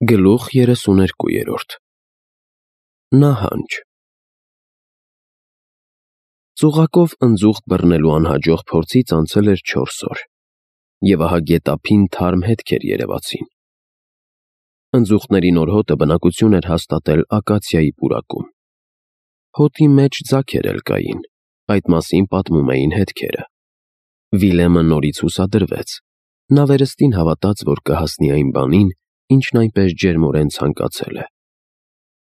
Գլուխ 32 Նահանջ Ծուղակով ընձուղտ բռնելու անհաջող փորձից անցել էր 4 օր, և ահա գետափին թարմ հետքեր երևացին։ Ընձուղտների նոր հոտը բնակություն էր հաստատել ակացիայի պուրակում։ Հոտի մեջ ձագեր էլ կային, այդ մասին պատմում էին հետքերը։ Վիլեմը նորից հուսադրվեց, նա վերստին հավատաց, որ կհասնի այն բանին, ինչն այնպես ջերմորեն ցանկացել է։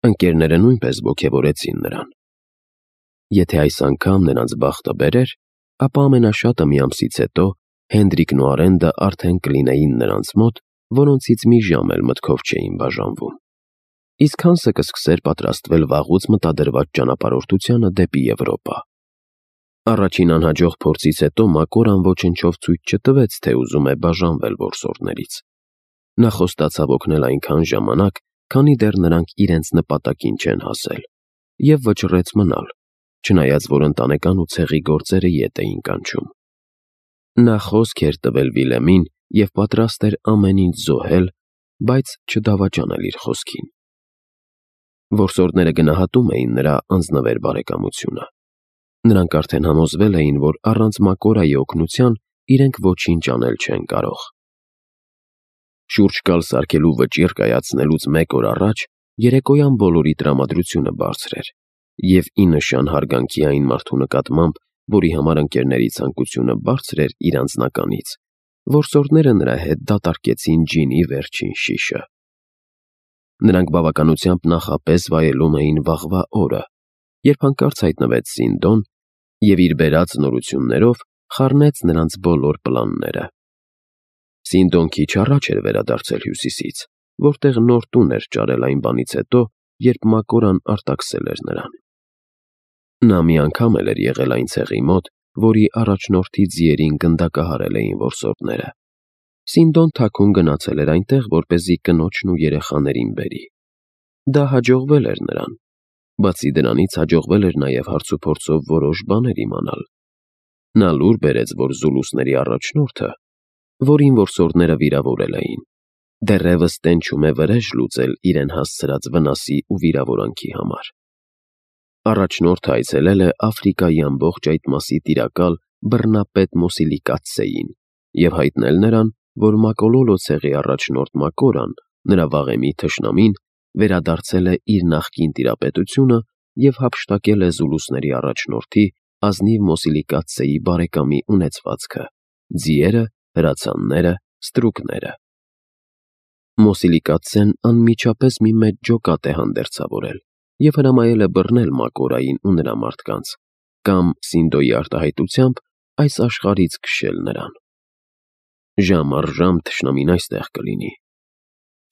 Ընկերները նույնպես ոգևորեցին նրան։ Եթե այս անգամ նրանց բախտը բերեր, ապա ամենաշատը մի ամսից հետո Հենդրիկն ու Արենդը արդեն կլինեին նրանց մոտ, որոնցից մի ժամ էլ մտքով չէին բաժանվում։ Իսկ Հանսը կսկսեր պատրաստվել վաղուց մտադրված ճանապարհորդությանը դեպի Եվրոպա։ Առաջին անհաջող փորձից հետո Մակորան ոչնչով ցույց չտվեց, թե ուզում է բաժանվել որսորդներից։ Նա խոստացավ օգնել այնքան ժամանակ, քանի դեռ նրանք իրենց նպատակին չեն հասել, և վճռեց մնալ, չնայած որ ընտանեկան ու ցեղի գործերը ետ էին կանչում։ Նա խոսք էր տվել Վիլեմին և պատրաստ էր ամեն ինչ զոհել, բայց չդավաճանել իր խոսքին։ Որսորդները գնահատում էին նրա անձնվեր բարեկամությունը։ Նրանք արդեն համոզվել էին, որ առանց Մակորայի օգնության իրենք ոչինչ անել չեն կարող։ Շուրջ կալ սարքելու վճիռ կայացնելուց մեկ օր առաջ երեկոյան բոլորի տրամադրությունը բարձր էր, և ի նշան հարգանքի այն մարդու նկատմամբ, որի համար ընկերների ցանկությունը բարձր էր իր անձնականից, որսորդները նրա հետ դատարկեցին ջինի վերջին շիշը։ Նրանք բավականությամբ նախապես վայելում էին վաղվա օրը, երբ հանկարծ հայտնվեց Սինդոն և իր բերած նորություններով խառնեց նրանց բոլոր պլանները։ Սինդոն քիչ առաջ էր վերադարձել Հյուսիսից, որտեղ նոր տուն էր ճարել այն բանից հետո, երբ Մակորան արտաքսել էր նրան։ Նա մի անգամ էլ էր եղել այն ցեղի մոտ, որի առաջնորդի ձիերին գնդակահարել էին որսորդները։ Սինդոն թաքուն գնացել էր այնտեղ, որպեսզի կնոջն ու երեխաներին բերի։ Դա հաջողվել էր նրան։ Բացի դրանից հաջողվել էր նաև հարցուփորձով որոշ բաներ իմանալ։ Նա լուր բերեց, որ զուլուսների առաջնորդը, որին որսորդները վիրավորել էին, դեռևս տենչում է վրեժ լուծել իրեն հասցրած վնասի ու վիրավորանքի համար։ Առաջնորդը այցելել է Աֆրիկայի ամբողջ այդ մասի տիրակալ բռնապետ Մոսիլիկացեին և հայտնել նրան, որ Մակոլոլո ցեղի առաջնորդ Մակորան, նրա վաղեմի թշնամին, վերադարձել է իր նախկին տիրապետությունը և հափշտակել է զուլուսների առաջնորդի ազնիվ Մոսիլիկացեի բարեկամի ունեցվածքը՝ ձիերը, հրացանները, ստրուկները։ Մոսիլիկացեն անմիջապես մի մեծ ջոկատ է հանդերձավորել և հրամայել է բռնել Մակորային ու նրա մարդկանց, կամ Սինդոյի արտահայտությամբ այս աշխարհից քշել նրան։ Ժամ առ ժամ թշնամին այստեղ կլինի։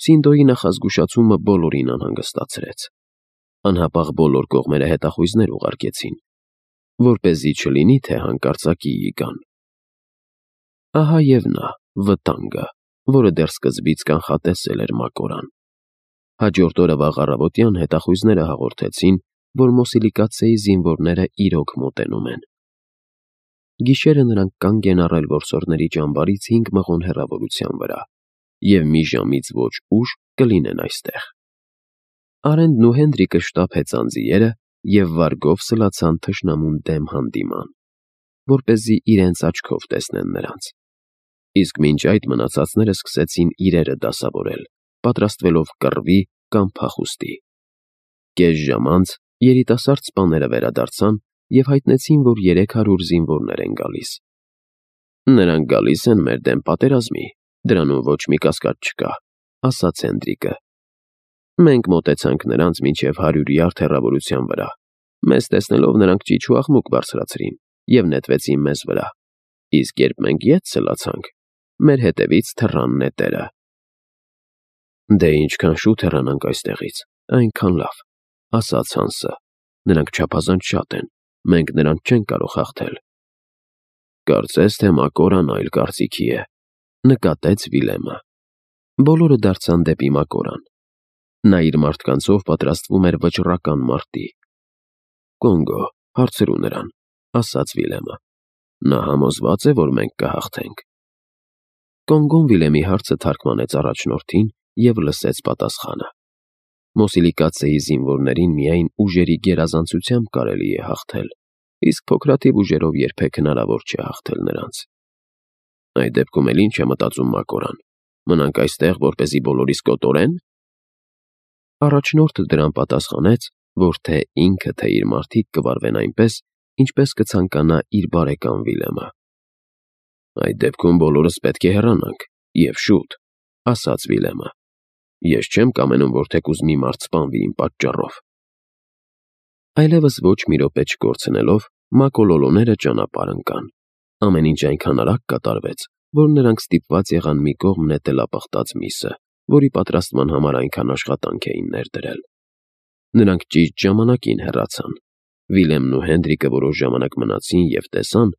Սինդոյի նախազգուշացումը բոլորին անհանգստացրեց։ Անհապաղ բոլոր կողմերը հետախույզներ ուղարկեցին, որպեսզի չլինի, թե հանկարծակիի գան։ Ահա և նա, վտանգը, որը դեռ սկզբից կանխատեսել էր Մակորան։ Հաջորդ օրը վաղ առավոտյան հետախույզները հաղորդեցին, որ Մոսիլիկացեի զինվորները իրոք մոտենում են։ Գիշերը նրանք կանգ են առել որսորդների ճամբարից 5 մղոն հեռավորության վրա, և մի ժամից ոչ ուշ կլինեն այստեղ։ Արենդն ու Հենդրիկը շտապ հեծան ձիերը և վարգով սլացան թշնամուն դեմ հանդիման, որպեսզի իրենց աչքով տեսնեն նրանց։ Իսկ մինչ այդ մնացածները սկսեցին իրերը դասավորել, պատրաստվելով կռվի կամ փախուստի։ Կես ժամ անց երիտասարդ սպաները վերադարձան և հայտնեցին, որ 300 զինվորներ են գալիս։ «Նրանք գալիս են մեր դեմ պատերազմի, դրանում ոչ մի կասկած չկա», ասաց Հենդրիկը։ «Մենք մոտեցանք նրանց մինչև 100 յարդ հեռավորության վրա։ Մեզ տեսնելով նրանք ճիչ ու աղմուկ բարձրացրին և նետվեցին մեզ վրա, իսկ երբ մենք ետ սլացանք, մեր հետևից թռան նետերը»։ «Դե ինչքան շուտ հեռանանք այստեղից, այնքան լավ», ասաց Հանսը։ «Նրանք չափազանց շատ են, մենք նրանց չենք կարող հաղթել»։ «Կարծես թե Մակորան այլ կարծիքի է», նկատեց Վիլեմը։ Բոլորը դարձան դեպի Մակորան։ Նա իր մարդկանցով պատրաստվում էր վճռական մարտի։ «Կոնգո, հարցրու նրան», ասաց Վիլեմը։ «Նա համոզվա՞ծ է, որ մենք կհաղթենք»։ Կոնգոն Վիլեմի հարցը թարգմանեց առաջնորդին և լսեց պատասխանը։ Մոսիլիկացեի զինվորներին միայն ուժերի գերազանցությամբ կարելի է հաղթել, իսկ փոքրաթիվ ուժերով երբեք հնարավոր չէ հաղթել նրանց։ Այդ դեպքում էլ ինչ է մտածում Մակորան, մնանք այստեղ, որպեսզի բոլորիս կոտորեն։ Առաջնորդը դրան պատասխանեց, որ թե ինքը, թե իր մարդիկ կվարվեն այնպես, ինչպես կցանկանա իր բարեկամ Վիլեմը։ Այդ դեպքում բոլորս պետք է հեռանանք, և շուտ, ասաց Վիլեմը։ Ես չեմ կամենում, որ թեկուզ մի մարդ սպանվի իմ պատճառով։ Այլևս ոչ մի րոպե չկորցնելով, մակոլոլոները ճանապարհ ընկան։ Ամեն ինչ այնքան արագ կատարվեց, որ նրանք ստիպված եղան մի կողմ նետել ապխտած միսը, որի պատրաստման համար այնքան աշխատանք էին ներդրել։ Նրանք ճիշտ ժամանակին հեռացան։ Վիլեմն ու Հենրիկը որոշ ժամանակ մնացին և տեսան,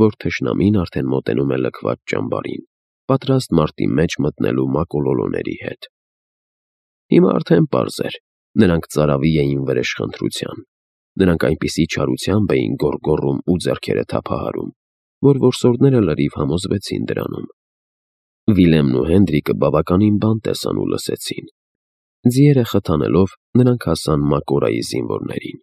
որ թշնամին արդեն մոտենում է լքված ճամբարին, պատրաստ մարտի մեջ մտնելու մակոլոլոների հետ։ Հիմա արդեն պարզ էր, նրանք ծարավի էին վրեժխնդրության։ Նրանք այնպիսի չարությամբ էին գոռգոռում ու ձեռքերը թափահարում, որ որսորդները լրիվ համոզվեցին դրանում։ Վիլեմն ու Հենրիկը բավականին բան տեսան ու լսեցին։ Ձիերը խթանելով՝ նրանք հասան Մակորայի զինվորներին։